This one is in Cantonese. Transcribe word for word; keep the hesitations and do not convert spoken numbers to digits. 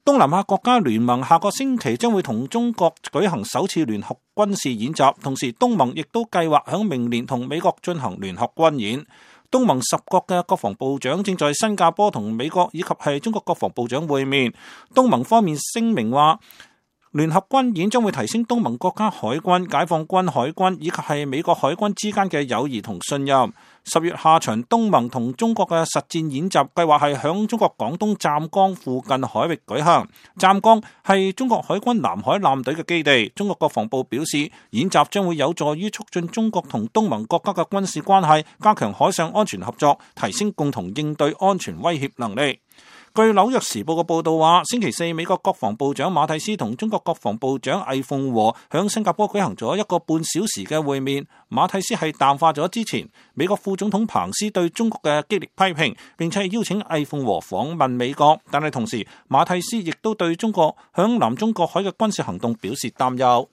東南亞國家聯盟下個星期將會同中國舉行首次聯合軍事演習，同時東盟亦都計劃喺明年同美國進行聯合軍演。東盟十國嘅國防部長正在新加坡同美國以及係中國國防部長會面。東盟方面聲明話，聯合軍演將會提升東盟國家海軍、解放軍海軍以及係美國海軍之間嘅友誼同信任。十月下旬，東盟同中國嘅實戰演習計劃係響中國廣東湛江附近海域舉行。湛江係中國海軍南海艦隊嘅基地。中國國防部表示，演習將會有助於促進中國同東盟國家嘅軍事關係，加強海上安全合作，提升共同應對安全威脅能力。據紐約時報嘅報道話，星期四美國國防部長馬蒂斯同中國國防部長魏鳳和響新加坡舉行咗一個半小時嘅會面。馬蒂斯係淡化咗之前美國副總統彭斯對中國嘅激烈批評，並且邀請魏鳳和訪問美國，但係同時馬蒂斯亦都對中國響南中國海嘅軍事行動表示擔憂。